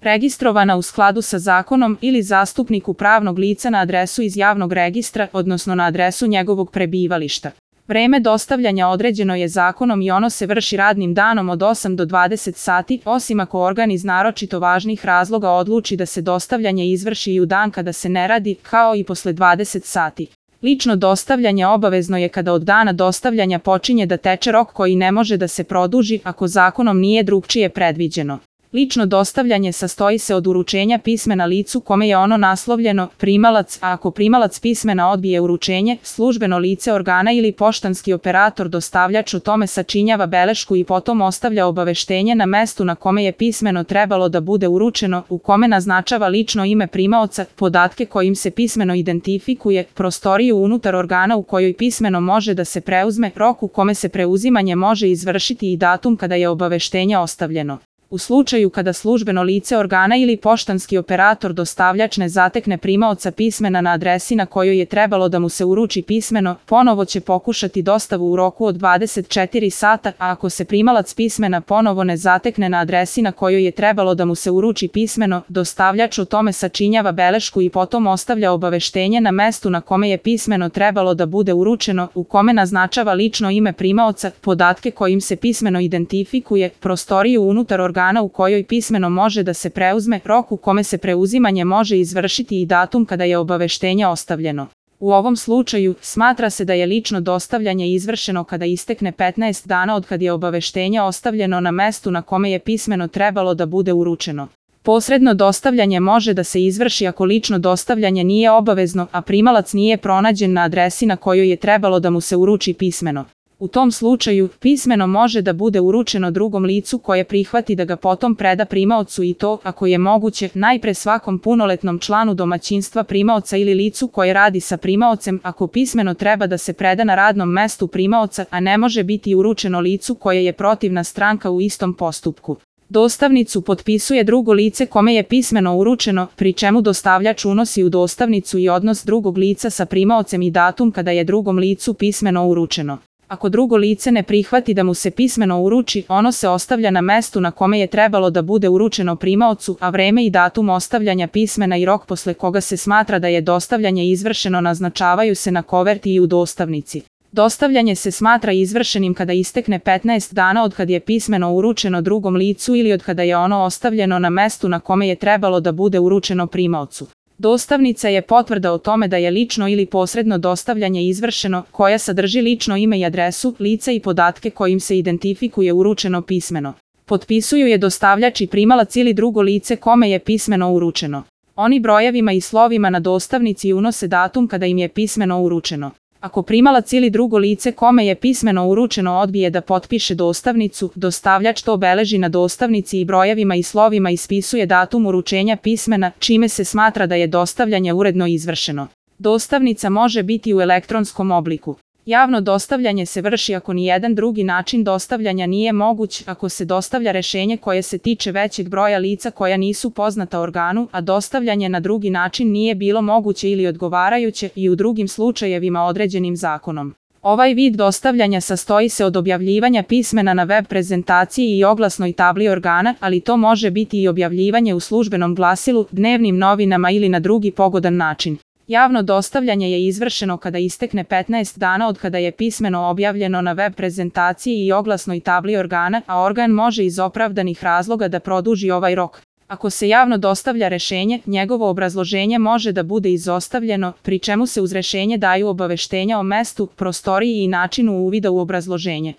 registrovana u skladu sa zakonom ili zastupniku pravnog lica na adresu iz javnog registra, odnosno na adresu njegovog prebivališta. Vreme dostavljanja određeno je zakonom i ono se vrši radnim danom od 8 do 20 sati, osim ako organ iz naročito važnih razloga odluči da se dostavljanje izvrši i u dan kada se ne radi, kao i posle 20 sati. Lično dostavljanje obavezno je kada od dana dostavljanja počinje da teče rok koji ne može da se produži ako zakonom nije drugčije predviđeno. Lično dostavljanje sastoji se od uručenja pismena licu kome je ono naslovljeno, primalac, a ako primalac pismena odbije uručenje, službeno lice organa ili poštanski operator dostavljač o tome sačinjava belešku i potom ostavlja obaveštenje na mestu na kome je pismeno trebalo da bude uručeno, u kome naznačava lično ime primaoca, podatke kojim se pismeno identifikuje, prostoriju unutar organa u kojoj pismeno može da se preuzme, rok u kome se preuzimanje može izvršiti i datum kada je obaveštenje ostavljeno. U slučaju kada službeno lice organa ili poštanski operator dostavljač ne zatekne primaoca pismena na adresi na kojoj je trebalo da mu se uruči pismeno, ponovo će pokušati dostavu u roku od 24 sata, a ako se primalac pismena ponovo ne zatekne na adresi na kojoj je trebalo da mu se uruči pismeno, dostavljač o tome sačinjava belešku i potom ostavlja obaveštenje na mestu na kome je pismeno trebalo da bude uručeno, u kome naznačava lično ime primaoca, podatke kojim se pismeno identifikuje, prostoriju unutar organa u kojoj pismeno može da se preuzme, rok u kome se preuzimanje može izvršiti i datum kada je obaveštenje ostavljeno. U ovom slučaju, smatra se da je lično dostavljanje izvršeno kada istekne 15 dana od kad je obaveštenje ostavljeno na mestu na kome je pismeno trebalo da bude uručeno. Posredno dostavljanje može da se izvrši ako lično dostavljanje nije obavezno, a primalac nije pronađen na adresi na kojoj je trebalo da mu se uruči pismeno. U tom slučaju, pismeno može da bude uručeno drugom licu koje prihvati da ga potom preda primaocu i to, ako je moguće, najpre svakom punoletnom članu domaćinstva primaoca ili licu koje radi sa primaocem, ako pismeno treba da se preda na radnom mestu primaoca, a ne može biti uručeno licu koje je protivna stranka u istom postupku. Dostavnicu potpisuje drugo lice kome je pismeno uručeno, pri čemu dostavljač unosi u dostavnicu i odnos drugog lica sa primaocem i datum kada je drugom licu pismeno uručeno. Ako drugo lice ne prihvati da mu se pismeno uruči, ono se ostavlja na mestu na kome je trebalo da bude uručeno primaocu, a vreme i datum ostavljanja pismena i rok posle koga se smatra da je dostavljanje izvršeno naznačavaju se na koverti i u dostavnici. Dostavljanje se smatra izvršenim kada istekne 15 dana od kad je pismeno uručeno drugom licu ili od kada je ono ostavljeno na mestu na kome je trebalo da bude uručeno primaocu. Dostavnica je potvrda o tome da je lično ili posredno dostavljanje izvršeno, koja sadrži lično ime i adresu, lica i podatke kojim se identifikuje uručeno pismeno. Potpisuju je dostavljač i primalac ili drugo lice kome je pismeno uručeno. Oni brojevima i slovima na dostavnici unose datum kada im je pismeno uručeno. Ako primalac ili drugo lice kome je pismeno uručeno odbije da potpiše dostavnicu, dostavljač to obeleži na dostavnici i brojevima i slovima ispisuje datum uručenja pismena, čime se smatra da je dostavljanje uredno izvršeno. Dostavnica može biti u elektronskom obliku. Javno dostavljanje se vrši ako nijedan drugi način dostavljanja nije moguć, ako se dostavlja rešenje koje se tiče većeg broja lica koja nisu poznata organu, a dostavljanje na drugi način nije bilo moguće ili odgovarajuće i u drugim slučajevima određenim zakonom. Ovaj vid dostavljanja sastoji se od objavljivanja pismena na web prezentaciji i oglasnoj tabli organa, ali to može biti i objavljivanje u službenom glasilu, dnevnim novinama ili na drugi pogodan način. Javno dostavljanje je izvršeno kada istekne 15 dana od kada je pismeno objavljeno na web prezentaciji i oglasnoj tabli organa, a organ može iz opravdanih razloga da produži ovaj rok. Ako se javno dostavlja rešenje, njegovo obrazloženje može da bude izostavljeno, pri čemu se uz rešenje daju obaveštenja o mestu, prostoriji i načinu uvida u obrazloženje.